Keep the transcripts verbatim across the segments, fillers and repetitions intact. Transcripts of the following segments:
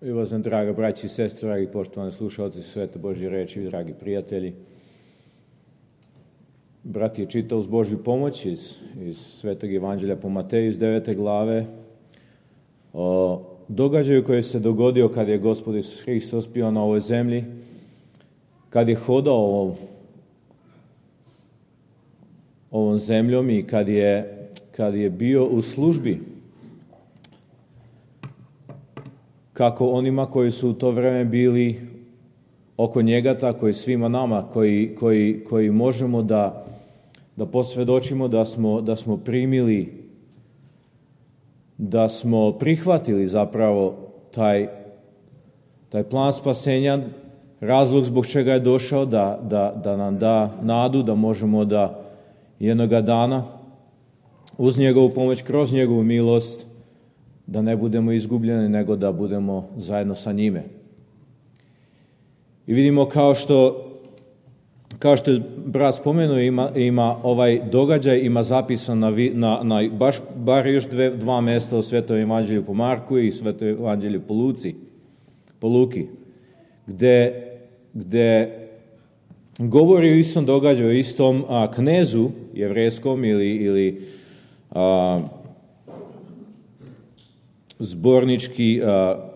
I vas nam, draga braći i sestre, dragi poštovani slušalci Svete Božje reči, dragi prijatelji. Brat je čitao uz Božju pomoć iz, iz Svetog Evanđelja po Mateju iz devete glave o događaju koji se dogodio kad je Gospod Isus Hristos bio na ovoj zemlji, kad je hodao ovom, ovom zemljom i kad je, kad je bio u službi kako onima koji su u to vreme bili oko njega, tako i svima nama koji, koji, koji možemo da, da posvjedočimo da smo, da smo primili, da smo prihvatili zapravo taj, taj plan spasenja, razlog zbog čega je došao, da, da, da nam da nadu, da možemo da jednoga dana uz njegovu pomoć, kroz njegovu milost, da ne budemo izgubljeni, nego da budemo zajedno sa njime. I vidimo kao što, kao što je brat spomenuo, ima, ima ovaj događaj, ima zapisan na, na, na baš, bar još dve, dva mjesta u Svetom Evanđelju po Marku i Svetom Evanđelju po Luci, po Luki, gde, gde govori o istom događaju, o istom a, knezu jevrejskom ili, ili a, zbornički a,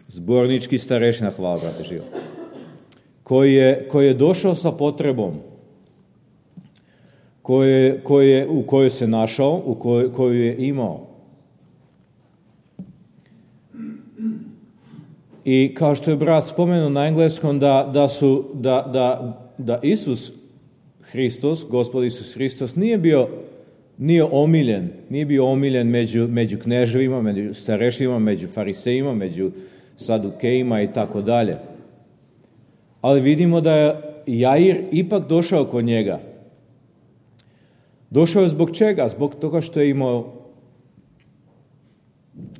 zbornički starešina, hvala brate živo, koji je, koji je došao sa potrebom koje, koje, u kojoj se našao, u kojoj, koju je imao. I kao što je brat spomenuo na engleskom, da, da, su, da, da, da Isus Hristos, Gospod Isus Hristos, nije bio nije omiljen, nije bio omiljen među, među kneževima, među starešinima, među farisejima, među sadukejima i tako dalje. Ali vidimo da je Jair ipak došao kod njega. Došao je zbog čega? Zbog toga što je imao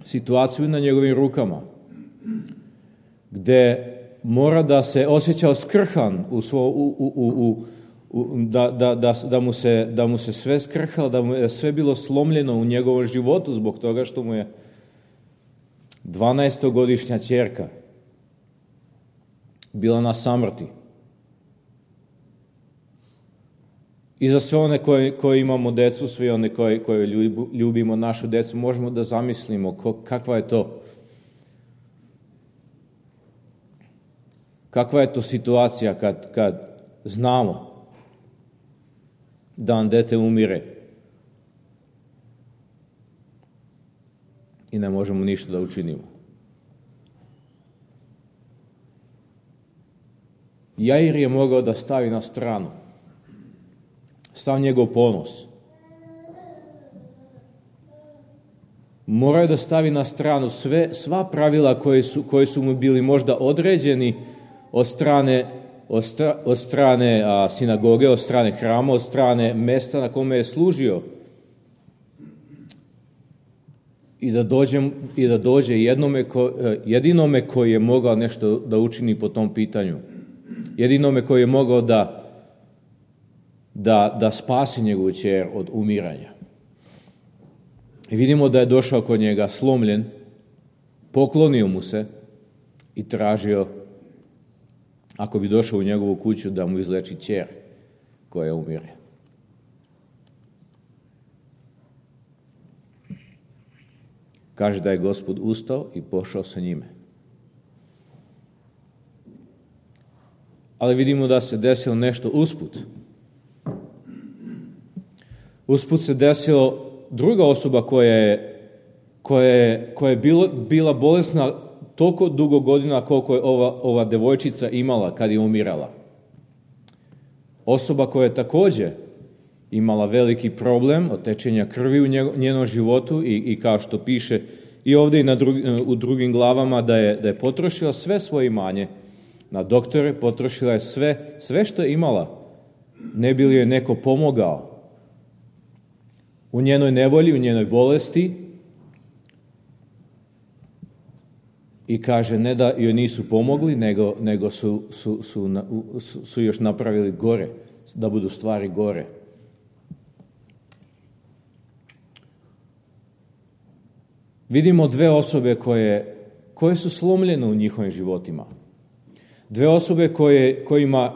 situaciju na njegovim rukama, gde mora da se osjećao skrhan u svo, u, u, u, u Da, da, da, da, mu se, da mu se sve skrhalo, da mu je sve bilo slomljeno u njegovom životu zbog toga što mu je dvanaestogodišnja ćerka bila na samrti. I za sve one koji, koji imamo decu, svi one koji, koji ljubimo našu decu, možemo da zamislimo ko, kakva je to kakva je to situacija kad, kad znamo da nam dete umire i ne možemo ništa da učinimo. Jair je mogao da stavi na stranu sav njegov ponos. Morao je da stavi na stranu sve, sva pravila koje su, koje su mu bili možda određeni od strane Od, stra, od strane a, sinagoge, od strane hrama, od strane mesta na kome je služio. I da, dođem, i da dođe jednome ko, jedinome koji je mogao nešto da učini po tom pitanju. Jedinome koji je mogao da, da, da spasi njegovu ćer od umiranja. I vidimo da je došao kod njega slomljen, poklonio mu se i tražio, ako bi došao u njegovu kuću, da mu izleči ćer koja umire. Kaže da je Gospod ustao i pošao sa njime. Ali vidimo da se desilo nešto usput. Usput se desilo druga osoba koja je, koja je, koja je bilo, bila bolesna toliko dugo godina koliko je ova, ova devojčica imala kad je umirala. Osoba koja je također imala veliki problem od tečenja krvi u njenom životu i, i kao što piše i ovdje i na drugi, u drugim glavama da je, da je potrošila sve svoje imanje na doktore, potrošila je sve, sve što je imala. Ne bi li joj neko pomogao u njenoj nevolji, u njenoj bolesti. I kaže, ne da joj nisu pomogli, nego, nego su, su, su, su, su još napravili gore, da budu stvari gore. vidimo dve osobe koje, koje su slomljene u njihovim životima. Dve osobe koje, kojima,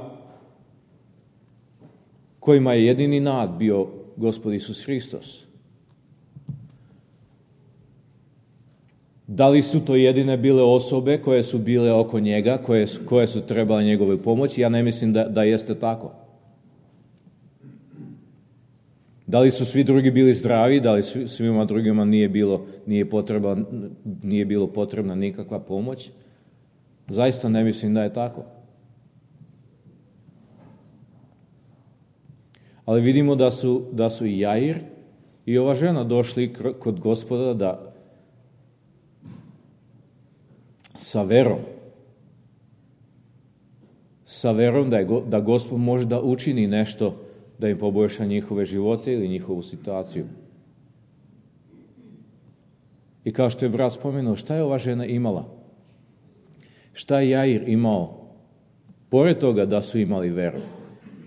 kojima je jedini nad bio Gospod Isus Hristos. Da li su to jedine bile osobe koje su bile oko njega, koje su, koje su trebale njegove pomoći? Ja ne mislim da, da jeste tako. Da li su svi drugi bili zdravi, da li svima drugima nije bilo, nije potreba, nije bilo potrebna nikakva pomoć? Zaista ne mislim da je tako. Ali vidimo da su, da su i Jair i ova žena došli kod Gospoda da sa verom, sa verom da, je, da Gospod može da učini nešto da im poboljša njihove živote ili njihovu situaciju. I kao što je brat spomenuo, šta je ova žena imala? Šta je Jair imao? Pored toga da su imali veru.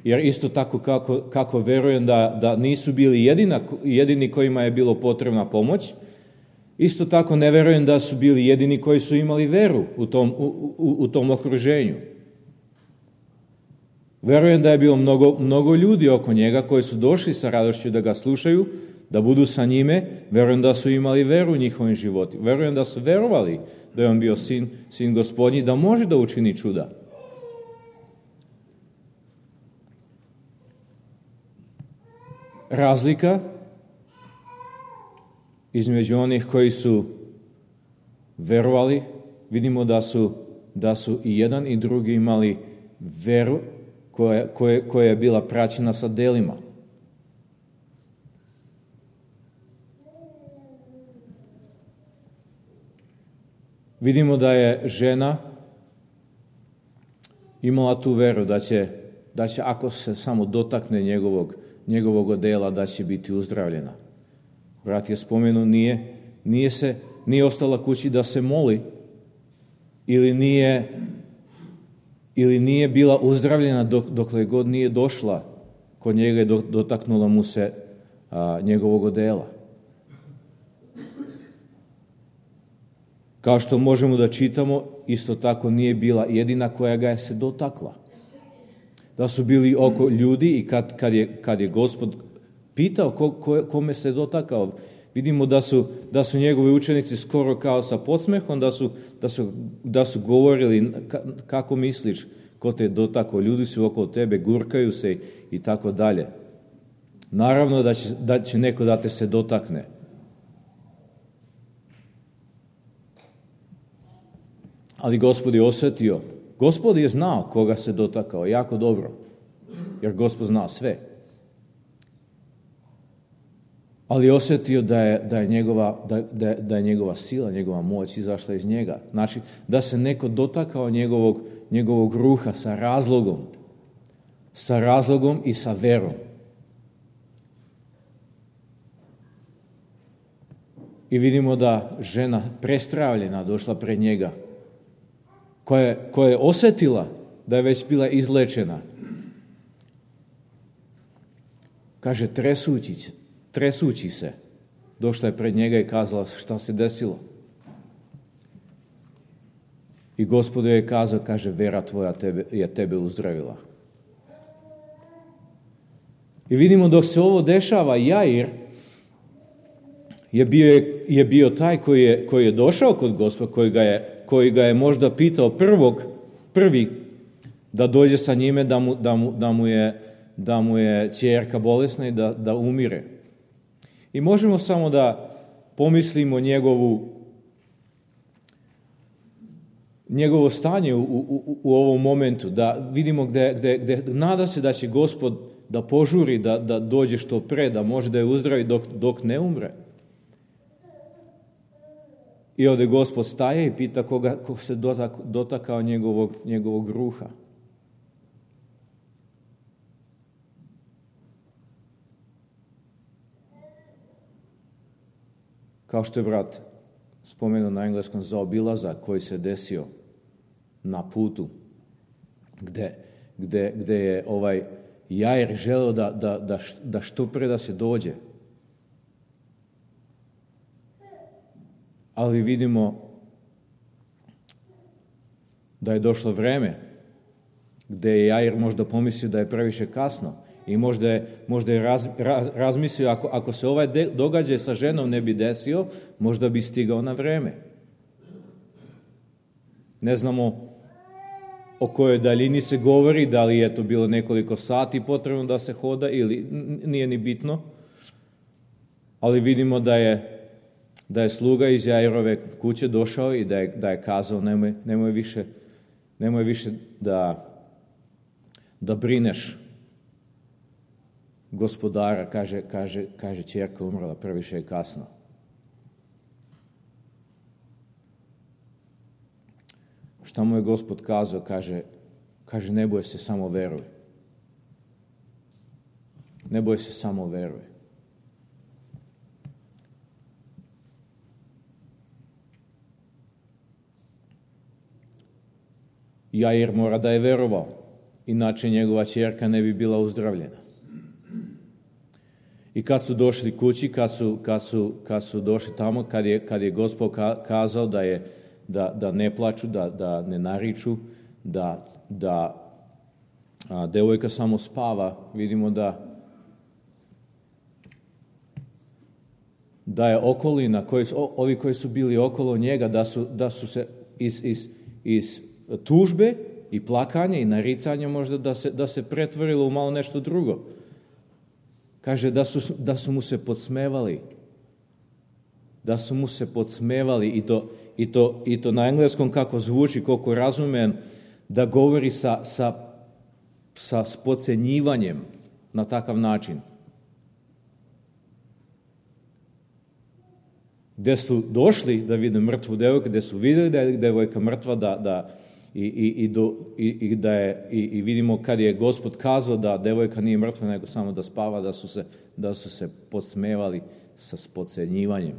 Jer isto tako kako, kako verujem da, da nisu bili jedina, jedini kojima je bilo potrebna pomoć, isto tako ne verujem da su bili jedini koji su imali veru u tom, u, u, u tom okruženju. Verujem da je bilo mnogo, mnogo ljudi oko njega koji su došli sa radošću da ga slušaju, da budu sa njime. Verujem da su imali veru u njihovim životima. Verujem da su verovali da je on bio sin, sin Gospodnji, da može da učini čuda. Razlika između onih koji su verovali, vidimo da su, da su i jedan i drugi imali veru koja, koja, koja je bila praćena sa delima. Vidimo da je žena imala tu veru da će, da će ako se samo dotakne njegovog, njegovog odela, da će biti uzdravljena. Brat je spomenuo, nije, nije, se, nije ostala kući da se moli ili nije, ili nije bila uzdravljena dok, dokle god nije došla kod njega i dotaknula mu se a, njegovog odela. Kao što možemo da čitamo, isto tako nije bila jedina koja ga je se dotakla. Da su bili oko ljudi i kad, kad, je, kad je Gospod pitao ko, ko, kome se dotakao, vidimo da su, da su njegovi učenici skoro kao sa podsmehom, da su, da su, da su govorili kako misliš ko te dotakao, ljudi su oko tebe, gurkaju se i tako dalje. Naravno da će, da će neko da te se dotakne. Ali Gospod je osjetio, Gospod je znao koga se dotakao jako dobro, jer Gospod zna sve. Ali osjetio da je, da je, njegova, da, da, da je njegova sila, njegova moć izašla iz njega. Znači, da se neko dotakao njegovog, njegovog ruha sa razlogom, sa razlogom i sa verom. I vidimo da žena prestravljena došla pred njega, koja je, koja je osjetila da je već bila izlečena. Kaže, tresući, tresući se, došla je pred njega i kazala šta se desilo. I Gospod je kazao, kaže, vera tvoja tebe, je tebe uzdravila. I vidimo dok se ovo dešava, Jair je bio, je bio taj koji je, koji je došao kod Gospoda, koji ga je koji ga je možda pitao prvog, prvi da dođe sa njime, da mu, da mu, da mu, je, da mu je ćerka bolesna i da, da umire. I možemo samo da pomislimo njegovu, njegovo stanje u, u, u ovom momentu, da vidimo gde, gde, gde nada se da će Gospod da požuri, da, da dođe što pre, da može da je uzdravi dok, dok ne umre. I ovdje Gospod staje i pita koga, ko se dotak, dotakao njegovog, njegovog ruha. Kao što je brat spomenuo na engleskom zaobilazak koji se desio na putu, gde, gde, gde je ovaj Jair želeo da, da, da, da što pre da se dođe. Ali vidimo da je došlo vreme gdje je Jair možda pomislio da je previše kasno i možda je, možda je raz, raz, razmislio ako, ako se ovaj de, događaj sa ženom ne bi desio, možda bi stigao na vreme. Ne znamo o kojoj daljini se govori, da li je to bilo nekoliko sati potrebno da se hoda ili nije ni bitno, ali vidimo da je da je sluga iz Jairove kuće došao i da je, da je kazao nemoj, nemoj više, nemoj više da, da brineš gospodara, kaže, kaže, kaže ćerka umrla, previše je kasno. Šta mu je Gospod kazao? Kaže, kaže ne boj se, samo veruj. Ne boj se, samo veruj. Jair mora da je verovao, inače njegova ćerka ne bi bila uzdravljena. I kad su došli kući, kad su, kad su, kad su došli tamo, kad je, kad je Gospod kazao da, je, da, da ne plaču, da, da ne nariču, da, da a, devojka samo spava, vidimo da da je okolina, koji, ovi koji su bili okolo njega, da su, da su se iz, iz, iz tužbe i plakanja i naricanja možda da se, da se pretvorilo u malo nešto drugo. Kaže da su, da su mu se podsmevali. Da su mu se podsmevali i to, i to, i to na engleskom kako zvuči, koliko razumem, da govori sa, sa, sa podcenjivanjem na takav način. Gde su došli da vide mrtvu devojku, gde su vidjeli da je devojka mrtva, da, da, i, i, i, do, i, i, da je, i, i vidimo kad je Gospod kazao da devojka nije mrtva, nego samo da spava, da su se, da su se podsmevali sa podcenjivanjem.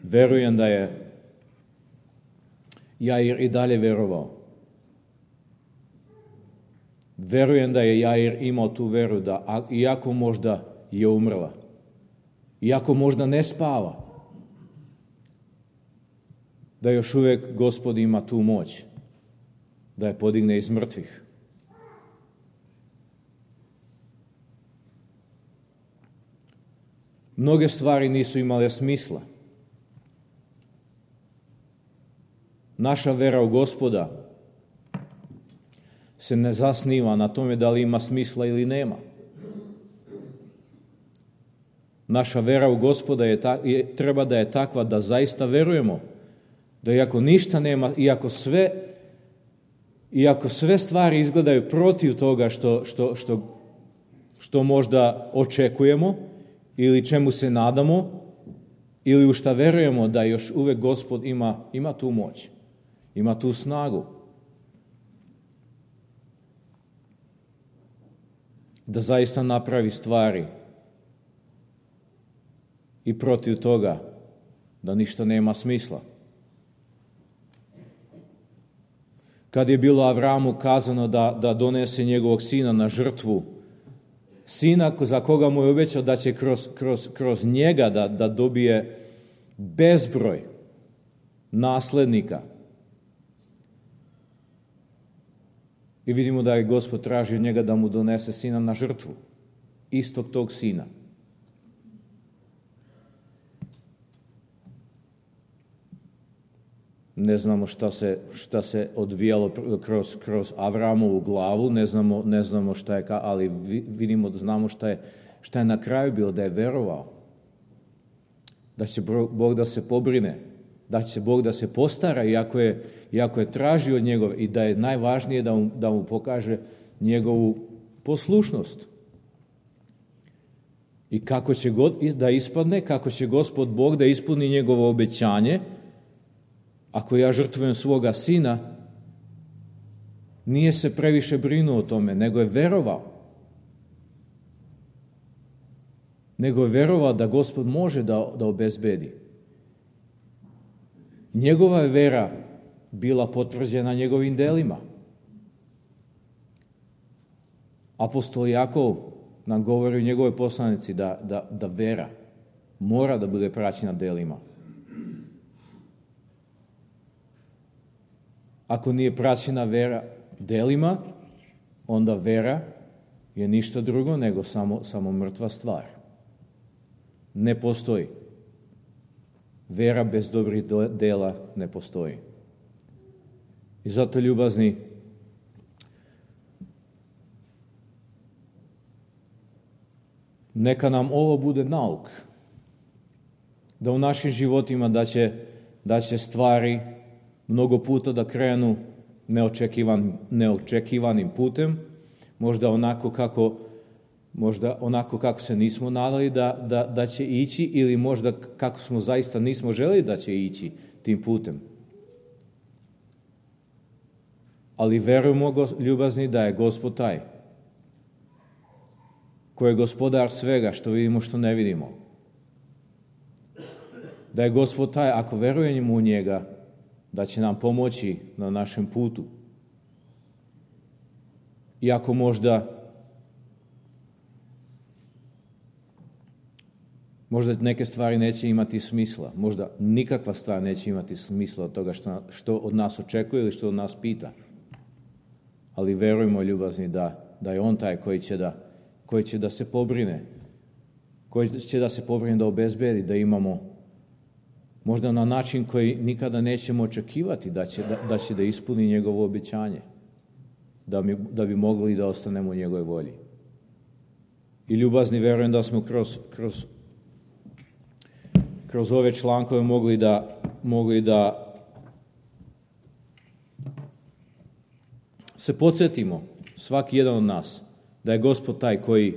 Verujem da je Jair i dalje verovao. Verujem da je Jair imao tu veru da, iako možda je umrla, iako možda ne spava, da još uvijek Gospod ima tu moć da je podigne iz mrtvih. Mnoge stvari nisu imale smisla. Naša vera u Gospoda se ne zasniva na tome da li ima smisla ili nema. Naša vera u Gospoda je, ta, je, treba da je takva da zaista verujemo da iako ništa nema, iako sve, iako sve stvari izgledaju protiv toga što, što, što, što možda očekujemo ili čemu se nadamo ili u šta verujemo, da još uvek Gospod ima, ima tu moć, ima tu snagu da zaista napravi stvari i protiv toga da ništa nema smisla. Kad je bilo Avramu kazano da, da donese njegovog sina na žrtvu, sina za koga mu je obećao da će kroz, kroz, kroz njega da, da dobije bezbroj naslednika. I vidimo da je Gospod tražio njega da mu donese sina na žrtvu, istog tog sina. Ne znamo šta se, šta se odvijalo kroz, kroz Avramovu glavu, ne znamo, ne znamo šta je, ali vidimo da znamo šta je, šta je na kraju bilo, da je verovao. Da će Bog da se pobrine, da će Bog da se postara, iako je, iako je tražio od njegove, i da je najvažnije da mu, da mu pokaže njegovu poslušnost. I kako će god da ispadne, kako će Gospod Bog da ispuni njegovo obećanje. Ako ja žrtvujem svoga sina, nije se previše brinuo o tome, nego je verovao. Nego je verovao da Gospod može da, da obezbedi. Njegova je vera bila potvrđena njegovim delima. Apostol Jakov nam govori u njegovoj poslanici da, da, da vera mora da bude praćena delima. ako nije praćena vera delima, onda vera je ništa drugo nego samo, samo mrtva stvar. Ne postoji. Vera bez dobrih dela ne postoji. I zato, ljubazni, neka nam ovo bude nauk. Da u našim životima da će, da će stvari mnogo puta da krenu neočekivan, neočekivanim putem, možda onako kako, možda onako kako se nismo nadali da, da, da će ići, ili možda kako smo zaista nismo želeli da će ići tim putem. Ali verujemo, ljubazni, da je Gospod taj koji je gospodar svega što vidimo, što ne vidimo. Da je Gospod taj, ako verujemo u njega, da će nam pomoći na našem putu. Iako možda možda neke stvari neće imati smisla, možda nikakva stvar neće imati smisla od toga što, što od nas očekuje ili što od nas pita. Ali verujemo, ljubazni, da, da je on taj koji će da, koji će da se pobrine, koji će da se pobrine da obezbedi, da imamo možda na način koji nikada nećemo očekivati da će da, da, će da ispuni njegovo obećanje, da, mi, da bi mogli da ostanemo u njegovoj volji. I, ljubazni, verujem da smo kroz, kroz, kroz ove člankove mogli da, mogli da se podsjetimo, svaki jedan od nas, da je Gospod taj koji,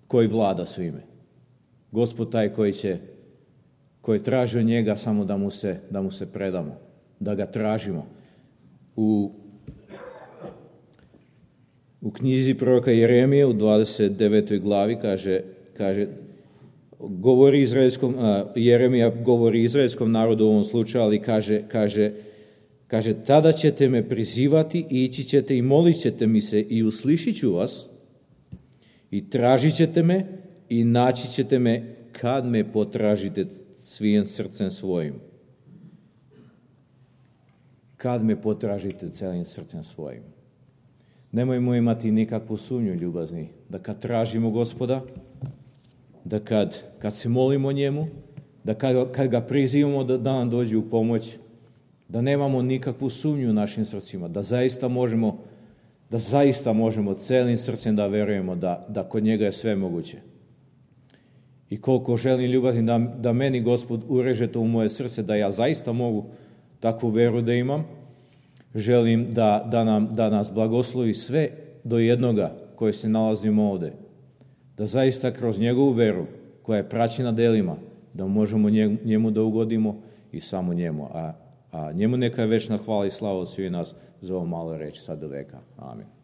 koji vlada svime. Gospod taj koji će koji traži od njega samo da mu se, da mu se predamo, da ga tražimo. U, u knjizi proroka Jeremije u dvadeset devetoj glavi kaže, kaže govori izraelskom, a, Jeremija govori izraelskom narodu u ovom slučaju, ali kaže, kaže, kaže tada ćete me prizivati, ići ćete i molit ćete mi se i uslišit ću vas i tražit ćete me i naći ćete me kad me potražite svim srcem svojim. Kad me potražite celim srcem svojim. Nemojmo imati nikakvu sumnju, ljubazni, da kad tražimo Gospoda, da kad, kad se molimo njemu, da kad, kad ga prizivamo da, da nam dođe u pomoć, da nemamo nikakvu sumnju u našim srcima, da zaista možemo, da zaista možemo celim srcem da verujemo da, da kod njega je sve moguće. I koliko želim, ljubazni, da, da meni Gospod ureže to u moje srce, da ja zaista mogu takvu veru da imam, želim da, da, nam, da nas blagoslovi sve do jednoga koje se nalazimo ovde. Da zaista kroz njegovu veru, koja je praćena delima, da možemo njemu da ugodimo i samo njemu. A, a njemu neka je večna hvala i slava od svih nas za ovo malo reći sad do veka. Amin.